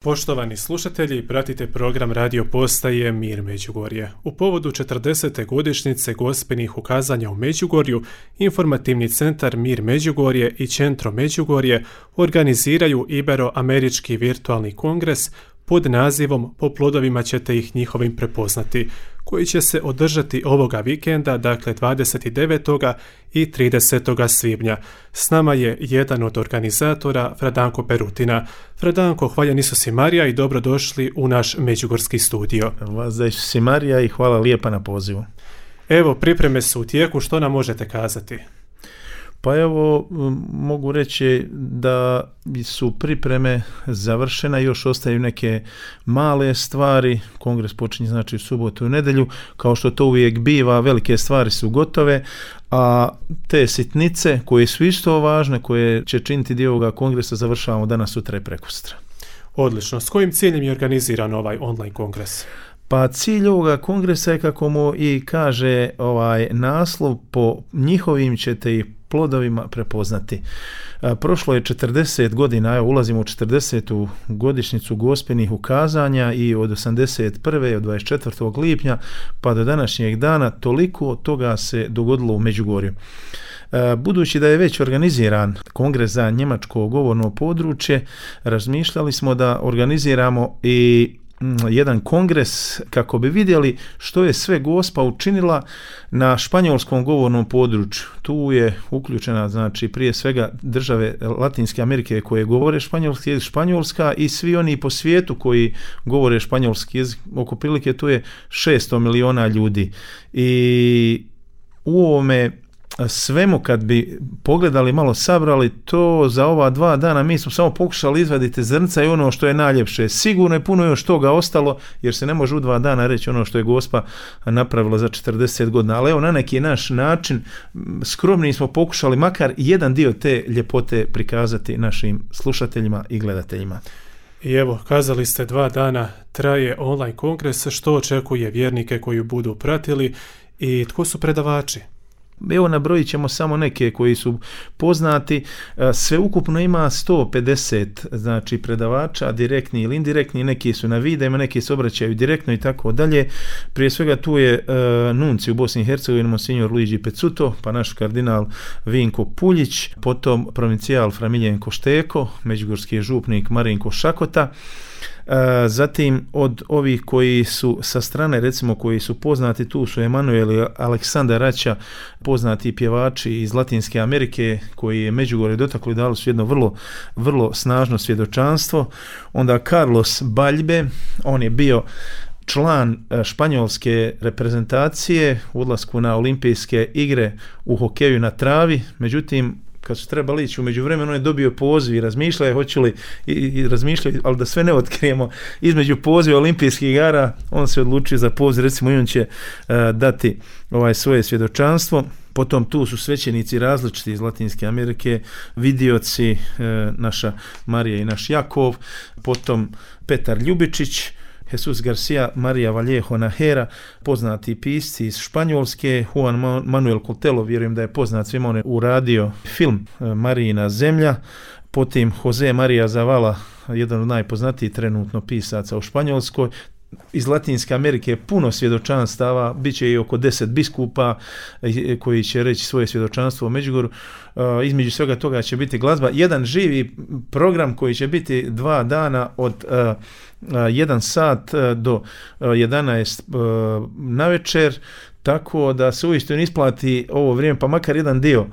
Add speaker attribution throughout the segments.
Speaker 1: Poštovani slušatelji, pratite program radio postaje Mir Međugorje. U povodu 40. godišnjice Gospelnih ukazanja u Međugorju, informativni centar Mir Međugorje i Centro Međugorje organiziraju Ibero-američki virtualni kongres pod nazivom Po plodovima ćete ih njihovim prepoznati, koji će se održati ovoga vikenda, dakle 29. i 30. svibnja. S nama je jedan od organizatora, Fradanko Perutina. Fradanko, hvaljen Isus i Marija i dobrodošli u naš međugorski studio.
Speaker 2: Vas za Isus i Marija i hvala lijepa na pozivu.
Speaker 1: Evo, pripreme su u tijeku, što nam možete kazati?
Speaker 2: Pa evo, mogu reći da su pripreme završene, još ostaju neke male stvari, kongres počinje znači u subotu i nedjelju, kao što to uvijek biva, velike stvari su gotove, a te sitnice koje su isto važne, koje će činiti dio ovoga kongresa, završavamo danas, sutra i prekosutra.
Speaker 1: Odlično, s kojim ciljem je organiziran ovaj online kongres?
Speaker 2: Pa cilj ovoga kongresa je, kako mu i kaže naslov, po njihovim ćete ih plodovima prepoznati. Prošlo je 40 godina, evo ulazimo u 40. godišnjicu Gospelnih ukazanja i od 81. od 24. lipnja pa do današnjeg dana toliko toga se dogodilo u Međugorju. Budući da je već organiziran kongres za njemačko govorno područje, razmišljali smo da organiziramo i jedan kongres kako bi vidjeli što je sve Gospa učinila na španjolskom govornom području. Tu je uključena, znači, prije svega države Latinske Amerike koje govore španjolski jezik, Španjolska, i svi oni po svijetu koji govore španjolski jezik. Oko prilike tu je 600 miliona ljudi. I u ovome svemu, kad bi pogledali, malo sabrali to za ova 2 dana, mi smo samo pokušali izvaditi zrnca i ono što je najljepše. Sigurno je puno još toga ostalo, jer se ne može u 2 dana reći ono što je Gospa napravila za 40 godina. Ali evo, na neki naš način, skromni smo pokušali makar jedan dio te ljepote prikazati našim slušateljima i gledateljima.
Speaker 1: I evo, kazali ste 2 dana traje online kongres, što očekuje vjernike koji budu pratili i tko su predavači?
Speaker 2: Evo, nabrojit ćemo samo neke koji su poznati. Sveukupno ima 150 znači predavača, direktni ili indirektni, neki su na videima, neki se obraćaju direktno i tako dalje. Prije svega tu je nunci u Bosni i Hercegovini, monsignor Luigi Pezzuto, pa naš kardinal Vinko Puljić, potom provincijal Fra Miljenko Šteko, međugorski župnik Marinko Šakota. Zatim od ovih koji su sa strane, recimo, koji su poznati, tu su Emanuel i Aleksandar Rača, poznati pjevači iz Latinske Amerike koji je Međugorje dotaklo i dali su jedno vrlo, vrlo snažno svjedočanstvo. Onda Carlos Baljbe, on je bio član španjolske reprezentacije u odlasku na olimpijske igre u hokeju na travi, međutim kad su trebali ići u međuvremenu, on je dobio poziv i razmišljaju hoće li, i razmišljaju, ali da sve ne otkrijemo, između poziva olimpijskih igara on se odlučio za poziv, recimo, i on će dati svoje svjedočanstvo. Potom tu su svećenici različiti iz Latinske Amerike, vidioci, naša Marija i naš Jakov, potom Petar Ljubičić, Jesus Garcia, Maria Vallejo Nahera, poznati pisci iz Španjolske, Juan Manuel Cotelo, vjerujem da je poznat svima, on je uradio film Marijina zemlja, potom Jose Maria Zavala, jedan od najpoznatijih trenutno pisaca u Španjolskoj. Iz Latinske Amerike puno svjedočanstava, bit će i oko 10 biskupa koji će reći svoje svjedočanstvo u Međugorju. Između svega toga će biti glazba, jedan živi program koji će biti 2 dana od 1 sat do 11 navečer, tako da se uistinu isplati ovo vrijeme, pa makar jedan dio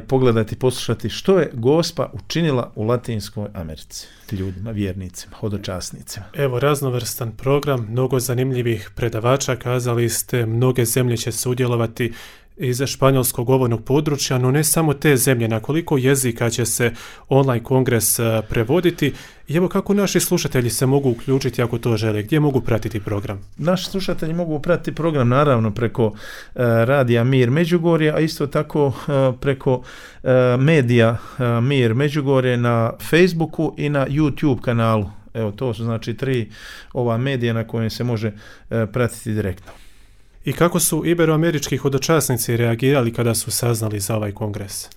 Speaker 2: pogledati, poslušati što je Gospa učinila u Latinskoj Americi ljudima, vjernicima, hodočasnicima.
Speaker 1: Evo, raznovrstan program, mnogo zanimljivih predavača, kazali ste, mnoge zemlje će sudjelovati iz španjolskog govornog područja, no ne samo te zemlje, na koliko jezika će se online kongres prevoditi i evo kako naši slušatelji se mogu uključiti ako to žele, gdje mogu pratiti program?
Speaker 2: Naši slušatelji mogu pratiti program naravno preko radija Mir Međugorje, a isto tako preko medija Mir Međugorje na Facebooku i na YouTube kanalu. Evo, to su znači 3 ova medija na kojem se može pratiti direktno.
Speaker 1: I kako su iberoamerički hodočasnici reagirali kada su saznali za ovaj kongres?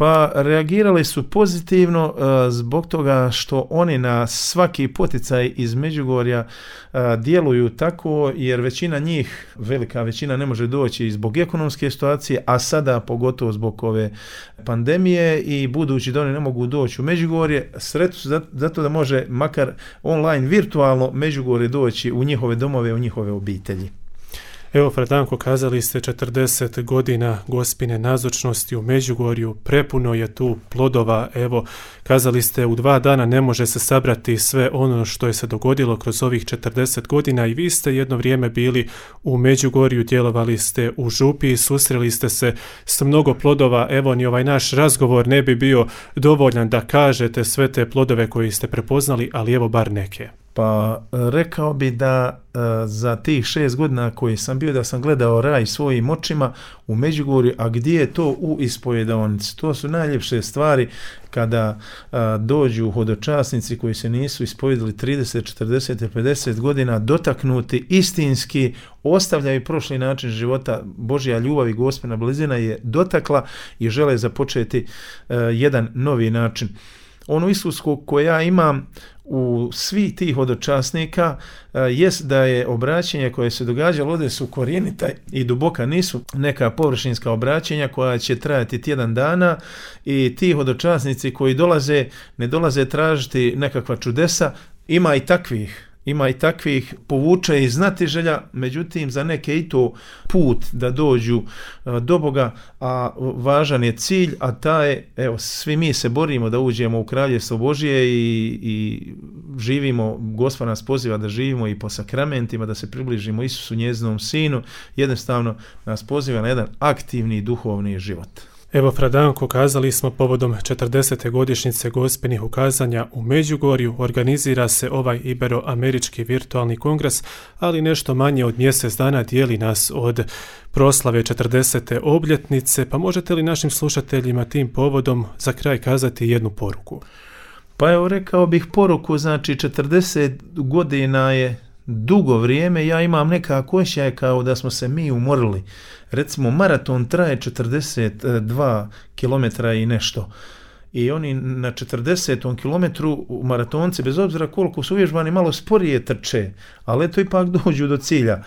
Speaker 2: Pa reagirali su pozitivno zbog toga što oni na svaki poticaj iz Međugorja djeluju tako, jer većina njih, velika većina, ne može doći zbog ekonomske situacije, a sada pogotovo zbog ove pandemije, i budući da oni ne mogu doći u Međugorje, sretni su zato da može makar online, virtualno Međugorje doći u njihove domove, u njihove obitelji.
Speaker 1: Evo, Fradanko, kazali ste 40 godina Gospine nazočnosti u Međugorju, prepuno je tu plodova. Evo, kazali ste u 2 dana ne može se sabrati sve ono što je se dogodilo kroz ovih 40 godina, i vi ste jedno vrijeme bili u Međugorju, djelovali ste u župi, susreli ste se s mnogo plodova. Evo, ni ovaj naš razgovor ne bi bio dovoljan da kažete sve te plodove koje ste prepoznali, ali evo bar neke.
Speaker 2: Pa rekao bi da za tih 6 godina koji sam bio, da sam gledao raj svojim očima u Međugorju, a gdje je to u ispovjedaonici. To su najljepše stvari kada dođu hodočasnici koji se nisu ispovjedali 30, 40, 50 godina, dotaknuti istinski, ostavljaju prošli način života. Božja ljubav i Gospina blizina je dotakla i žele započeti jedan novi način. Ono iskustvo koje ja imam u svih tih hodočasnika jest da je obraćenje koje se događalo ovdje su korijenita i duboka, nisu neka površinska obraćenja koja će trajati tjedan dana, i ti hodočasnici koji dolaze, ne dolaze tražiti nekakva čudesa, ima i takvih, povuče i znatiželja, međutim za neke i to put da dođu do Boga, a važan je cilj, a taj je, evo, svi mi se borimo da uđemo u Kraljevstvo Božje i živimo, Gospod nas poziva da živimo i po sakramentima, da se približimo Isusu, njezinom Sinu, jednostavno nas poziva na jedan aktivni duhovni život.
Speaker 1: Evo, Fradanko, kazali smo povodom 40. godišnjice Gospinih ukazanja u Međugorju organizira se ovaj Ibero-američki virtualni kongres, ali nešto manje od mjesec dana dijeli nas od proslave 40. obljetnice, pa možete li našim slušateljima tim povodom za kraj kazati jednu poruku?
Speaker 2: Pa evo, rekao bih poruku, znači 40 godina je dugo vrijeme, ja imam nekako osjećaj kao da smo se mi umorili. Recimo, maraton traje 42 km i nešto. I oni na 40. kilometru maratonci, bez obzira koliko su uvježbani, malo sporije trče, ali eto ipak dođu do cilja.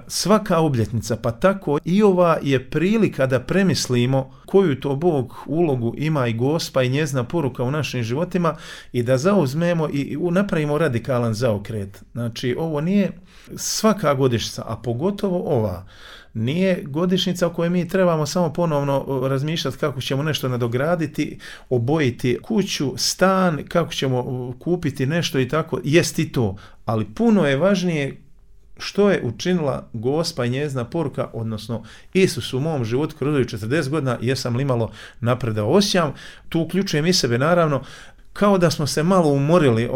Speaker 2: Svaka obljetnica, pa tako i ova, je prilika da premislimo koju to Bog ulogu ima i Gospa i njezina poruka u našim životima, i da zauzmemo i napravimo radikalan zaokret. Znači, ovo nije svaka godišnjica, a pogotovo ova, nije godišnjica o kojoj mi trebamo samo ponovno razmišljati kako ćemo nešto nadograditi, obojiti kuću, stan, kako ćemo kupiti nešto i tako, jest i to, ali puno je važnije što je učinila Gospa i njezina poruka, odnosno Isus u mom životu kroz 40 godina, jesam li malo napredao. Osjećam, tu uključujem i sebe naravno, kao da smo se malo umorili,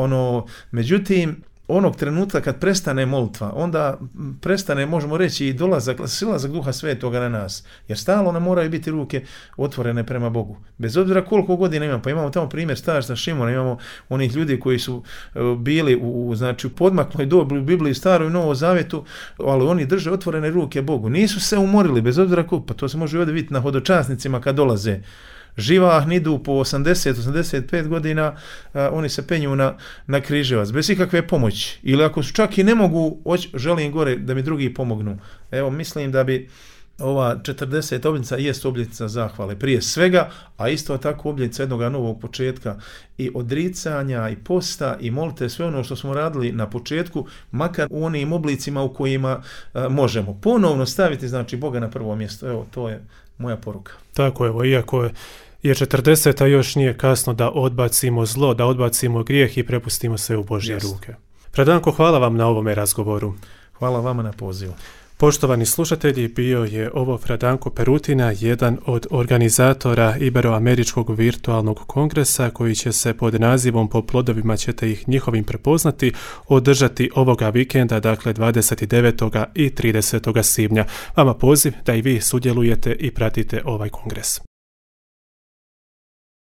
Speaker 2: međutim, onog trenutka kad prestane molitva, onda prestane, možemo reći, i silazak Duha Svetoga na nas, jer stalno nam moraju biti ruke otvorene prema Bogu. Bez obzira koliko godina imamo, pa imamo tamo primjer starca Šimona, imamo onih ljudi koji su bili u podmakloj dobi u Bibliji, Starom i Novom Zavjetu, ali oni drže otvorene ruke Bogu. Nisu se umorili, bez obzira koliko, pa to se može ovdje vidjeti na hodočasnicima kad dolaze. Živahni idu po 80-85 godina, oni se penju na križevac, bez ikakve pomoći. Ili ako su čak i ne mogu, želim gore da mi drugi pomognu. Evo, mislim da bi ova 40. obljetnica jest obljetnica zahvale prije svega, a isto tako obljetnica jednog novog početka i odricanja i posta i molite, sve ono što smo radili na početku, makar u onim oblicima u kojima možemo ponovno staviti, znači, Boga na prvo mjesto. Evo, to je moja poruka.
Speaker 1: Tako, evo, iako je 40, a još nije kasno da odbacimo zlo, da odbacimo grijeh i prepustimo sve u Božje ruke. Fradanko, hvala vam na ovome razgovoru.
Speaker 2: Hvala vama na pozivu.
Speaker 1: Poštovani slušatelji, bio je ovo Fradanko Perutina, jedan od organizatora Ibero-američkog virtualnog kongresa koji će se pod nazivom Po plodovima ćete ih njihovim prepoznati održati ovoga vikenda, dakle 29. i 30. svibnja. Vama poziv da i vi sudjelujete i pratite ovaj kongres.